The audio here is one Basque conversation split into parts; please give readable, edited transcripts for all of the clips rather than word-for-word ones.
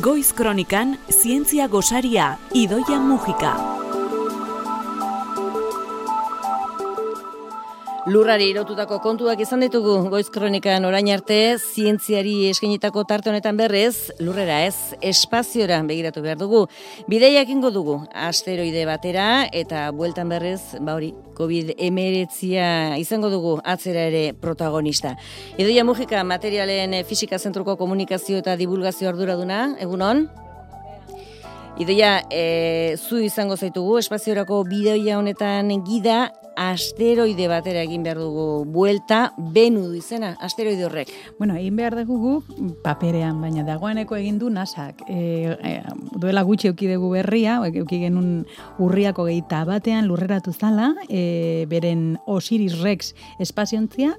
Goiz Kronikan, zientzia gosaria, Idoia Mujika. Lurrari irotutako kontuak izan ditugu Goiz Kronikan orain arte, zientziari eskainitako tarte honetan berrez, lurrera ez, espaziora begiratu behar dugu. Bideia egingo dugu, asteroide batera eta bueltan berrez, COVID-19 izango dugu atzera ere protagonista. Idoia Mujika, materialen fisika zentruko komunikazio eta divulgazio arduraduna, egunon? Idoia, zu izango zaitugu, espaziorako bideoia honetan gida, asteroide batera egin behar dugu buelta, Benu du izena, asteroide horrek. Bueno, egin behar dugu paperean, baina dagoeneko egin du NASAk. Duela gutxi euki dugu berria, euki genuen urriako 21 lurreratu zala, beren Osiris Rex espaziontzia,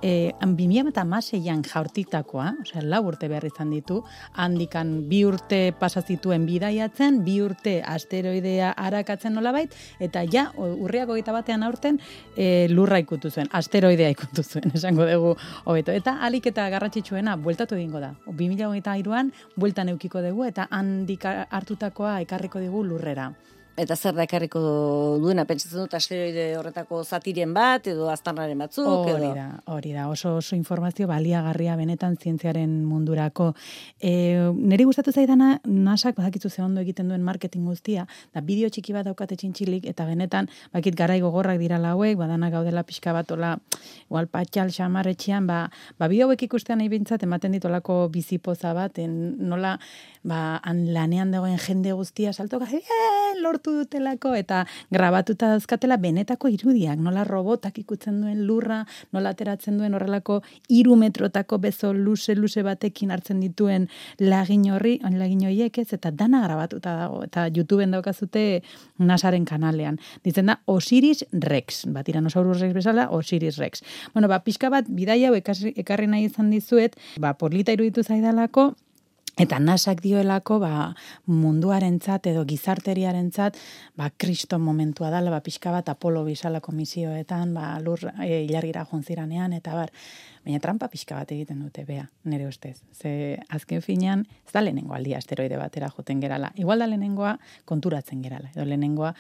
2016an jaurtitakoa, osea, 4 urte behar izan ditu, handikan 2 urte pasazituen bidaiatzen, 2 urte asteroidea arakatzen nolabait, eta ja, urriako 21 aurten lurra ikutu zuen, asteroidea ikutu zuen, esango dugu hobeto. Eta alik eta garrantzitsuena, bueltatu egingo da. 2023an bueltan eukiko dugu, eta handik hartutakoa ekarriko dugu lurrera. Eta zer da ekarriko duena, pentsatzen dut asteroide horretako zatiren bat, edo aztarnaren batzuk, edo? Hori da, oso informazio baliagarria benetan zientziaren mundurako. Neri gustatu zaidana, NASAk badakitzu ze ondo egiten duen marketing guztia, da bideo txiki bat daukate txintxilik, eta benetan, bakit garai gogorrak dira lauek, badana gaudela pixka bat, ola, igual patxal, xamarretxean, bideo hauek ikustean nahi bintzat, ematen ditolako bizipoza bat, nola, lanean dagoen jende guztia saltoka, lortu dutelako, eta grabatuta dauzkatela benetako irudiak, nola robotak ikutzen duen lurra, nola ateratzen duen horrelako 3 metrotako bezo luze batekin hartzen dituen lagin horiek ez, eta dana grabatuta dago, eta YouTubeen daukazute NASAren kanalean. Ditzen da Osiris Rex, Tyrannosaurus Rex bezala, Osiris Rex. Bueno, pixka bat, bidaia hau ekarri nahi izan dizuet, polita iruditu zaidalako, eta NASAk dioelako munduarentzat edo gizarteriarentzat kriston momentua dala, pixka bat Apollo bizalako misioetan, lur ilargira jontziranean, eta baina trampa pixka bat egiten dute, bea, nire ustez. Ze azken finean, ez da lehenengo aldia asteroide batera joten gerala. Igual da lehenengoa konturatzen gerala. Edo lehenengoa,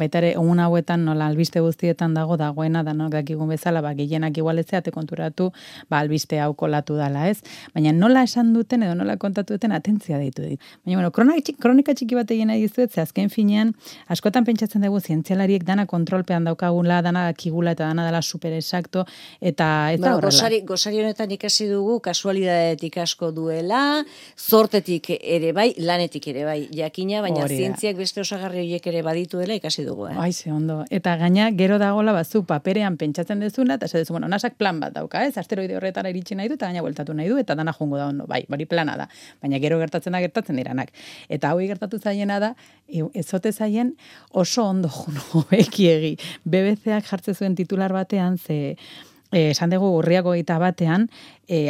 baita ere, egun hauetan nola albiste guztietan dagoena, danok dakigun bezala, gehienak igualetzeate konturatu, albiste hau kolatu dala, ez? Baina nola esan duten edo nola kontatu duten atentzia deitu dit. Baina, kronika txiki bat egin nahi dizuet, ze azken finean, askotan pentsatzen dugu zientzialariek dana kontrolpean daukagula, dana dakigula eta dana dela super exacto, eta ez da horrela. Gosari honetan ikasi dugu, kasualidadetik asko duela, zortetik ere bai, lanetik ere bai, jakina, baina zientziak beste osagarri horiek ere badituela ikasi dugu. Ze ondo. Eta gaina, gero dagoela bazu paperean pentsatzen dezuna, eta esatezu, NASAk plan bat dauka, asteroide horretara iritsi nahi du, eta gaina bueltatu nahi du, eta dana jongo da ondo, hori plana da. Baina gero gertatzen diranak. Eta hau gertatu zaiena da, ezote zaien oso ondo juno ekiegi. BBC-ak jartze zuen titular batean, esan dugu urriako 21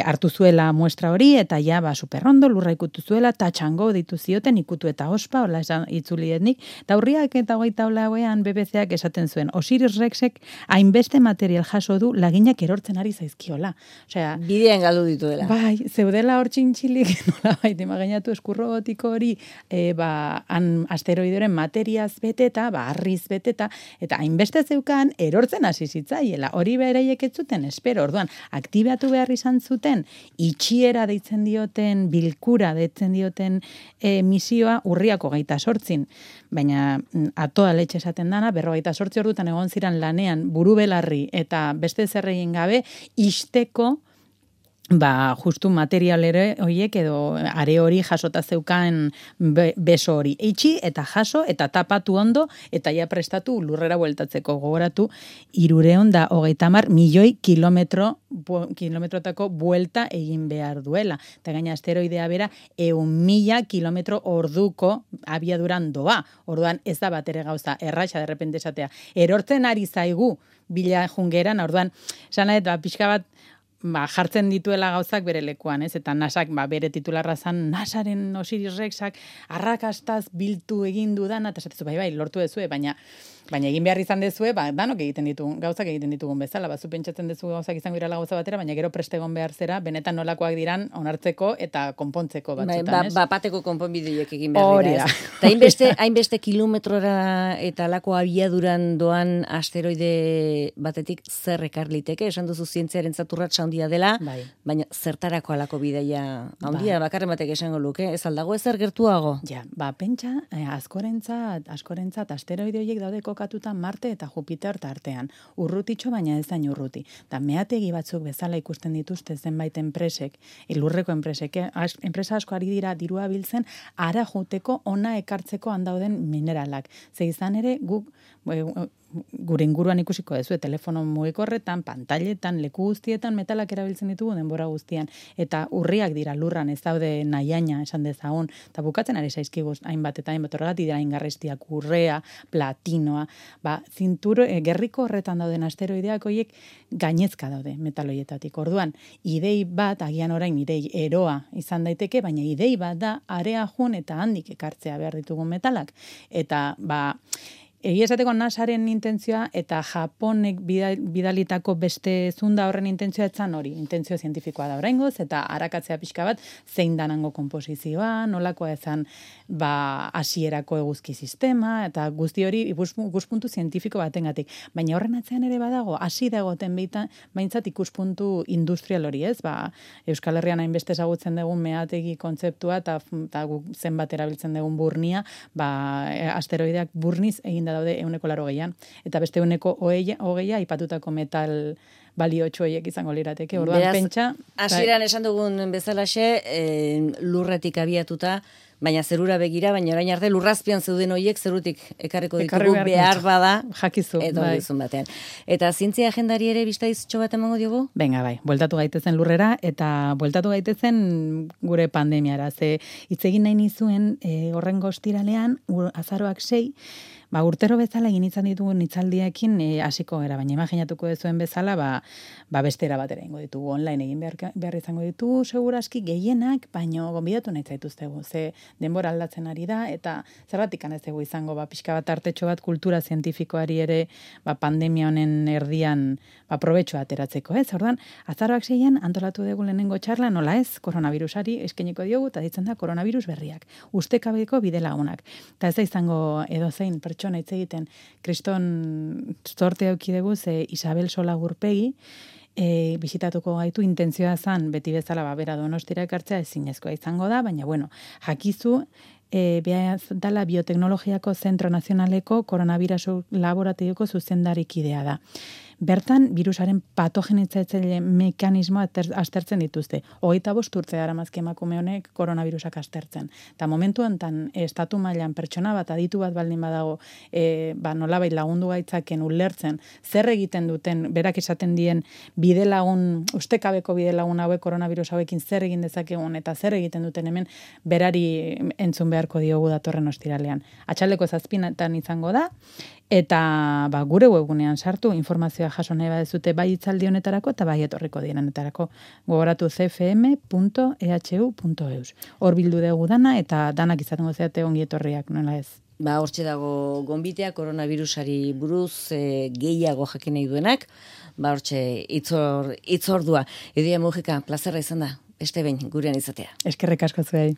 hartu zuela muestra hori, eta ja, superrondo, lurra ikutu zuela, tatxango ditu zioten, ikutu eta ospa, hola esan itzulietnik, eta urriak eta 28ean BBC-ak esaten zuen, Osiris Rexek hainbeste material jaso du laginak erortzen ari zaizkiola. Osea, bidean galdu dituela. Zeudela hor txintxilik, nola imaginatu eskurrobotiko hori, asteroideren materiaz beteta, harriz beteta, eta hainbeste zeukan erortzen hasi zitzaiela. Hori beraiek ez zuten, espero, orduan, aktibatu behar izan zuten, itxiera deitzen dioten, bilkura deitzen dioten misioa urriako 28, baina atoa letxe esaten dana, 48 ordutan egon ziren lanean buru belarri eta beste zerregin gabe, isteko justu material ere horiek edo are hori jasota zeukan beso hori. Eitxi eta jaso eta tapatu ondo eta ja prestatu lurrera bueltatzeko. Gogoratu 330 milioi kilometrotako buelta egin behar duela. Eta gaina asteroidea bera 100.000 kilometro orduko abiaduran doa. Orduan ez da batere gauza erraxa derrepente esatea. Erortzen ari zaigu bila jungeran, orduan, esan nahet, pixka bat jartzen dituela gauzak bere lekuan, ez? Eta NASAk bere titularra zan, NASAren Osiris Rexak arrakastaz biltu egin du dana, eta esatezu, bai, lortu dezue, baina egin behar izan dezue, danok egiten ditugun, gauzak egiten ditugun bezala, zu pentsatzen dezu gauzak izango dirala gauza batera, baina gero prest egon behar zera, benetan nolakoak diran onartzeko eta konpontzeko batzutan, ez? Bateko konponbideek egin behar dira, ez? Eta hainbeste kilometrora eta lako abiaduran doan asteroide batetik zer ekar liteke, esan duzu zientziaren zaturratsa handia dela, baina zertarako alako bidaia handia, bakarren batek esango luke, ez aldago ezer gertuago? Ja, pentsa, askorentzat asteroide horiek daude kokatuta Marte eta Jupiter tartean. Urrutitxo, baina ez dain urruti. Da meategi batzuk bezala ikusten dituzte zenbait enpresek, lurreko enpresek, enpresa asko ari dira dirua biltzen, ara joteko ona ekartzeko handauden mineralak. Ze izan ere, gure inguruan ikusiko dezu, telefono mugikorretan, pantailetan, leku guztietan, metalak erabiltzen ditugu denbora guztian. Eta urriak dira lurran, ez daude nahiaina, esan dezagun. Eta bukatzen ari zaizkiguz, hainbat eta hainbat horregatik dira ingarrestiak, urrea, platinoa. Gerriko horretan dauden asteroideak horiek gainezka daude metaloietatik. Orduan, idei bat, agian orain idei eroa izan daiteke, baina idei bat da, area jun eta handik ekartzea behar ditugun metalak. Eta, egia esateko NASAren intentzioa eta Japonek bidalitako beste zunda horren intentzioa etzan hori, intentzio zientifikoa da oraingoz, eta arakatzea pixka bat zein danango konposizioa, nolakoa ezan hasierako eguzki sistema, eta guzti hori ikuspuntu zientifiko batengatik. Baina horren atzean ere badago, hasi dagoten behintzat ikuspuntu industrial hori, ez? Euskal Herrian hainbeste ezagutzen dugun meategi kontzeptua eta zenbat erabiltzen dugun burnia, asteroideak burniz egin daude 180an, eta beste 120 aipatutako metal baliotxo horiek izango lirateke. Orduan pentsa... Hasieran esan dugun bezalaxe, lurretik abiatuta, baina zerura begira, baina orain arte lurrazpian zeuden horiek zerutik ekarriko ditugu behar bada, jakizu, edo dizun batean. Eta zientzia agendari ere biztaiztxo bat emango diogu? Venga, bueltatu gaitezen lurrera, eta bueltatu gaitezen gure pandemiara. Ze hitz egin nahi nizuen horren ostiralean, azaroak 6, urtero bezala egin izan ditugu hitzaldiekin hasiko gara, baina imaginatuko dezuen bezala, bestera batera ingo ditugu, online egin behar izango ditugu, segurazki gehienak, baina gonbidatu nahi zaituztegu, ze denbora aldatzen ari da, eta zergatik ez dugu izango, pixka bat artetxo bat kultura zientifikoari ere, pandemia honen erdian, probetxoa ateratzeko, ez? Orduan, azaroak 6 antolatu dugu lehenengo txarla, nola ez, koronavirusari eskainiko diogu, eta ditzen da koronavirus berriak, ustekabeko bidelagunak. Eta ez da izango edozein pertsona hitz egiten, kriston zorte auki dugu, ze Isabel Sola Gurpegi, bisitatuko gaitu, intentzioa zan, beti bezala bera Donostira ekartzea ezinezkoa izango da, baina jakizu, behar dala bioteknologiako Zentro Nazionaleko koronavirusu laborategioko zuzendarikidea da. Bertan, virusaren patogenitzaile mekanismoa aztertzen dituzte. 25 urte daramazki emakume honek koronavirusak aztertzen. Eta momentu honetan, estatu mailan pertsona bat, aditu bat baldin badago, nolabait lagundu gaitzaken ulertzen, zer egiten duten, berak esaten dien bidelagun, ustekabeko bidelagun hauek koronavirus hauekin zer egin dezakegun, eta zer egiten duten hemen, berari entzun beharko diogu datorren ostiralean. Atxaldeko 7 izango da, eta gure webgunean sartu, informazioa jaso nahi badezute bai hitzaldi honetarako eta bai etorriko direnetarako. Gogoratu cfm.ehu.eus. Hor bildu dugu dana eta danak izatengo zeate ongi etorriak, nola ez? Hortxe dago gonbitea koronavirusari buruz gehiago jakin nahi duenak, hortxe itzordua. Idoia Mujika, plazerra izan da, beste behin gurean izatea. Eskerrik asko zuei.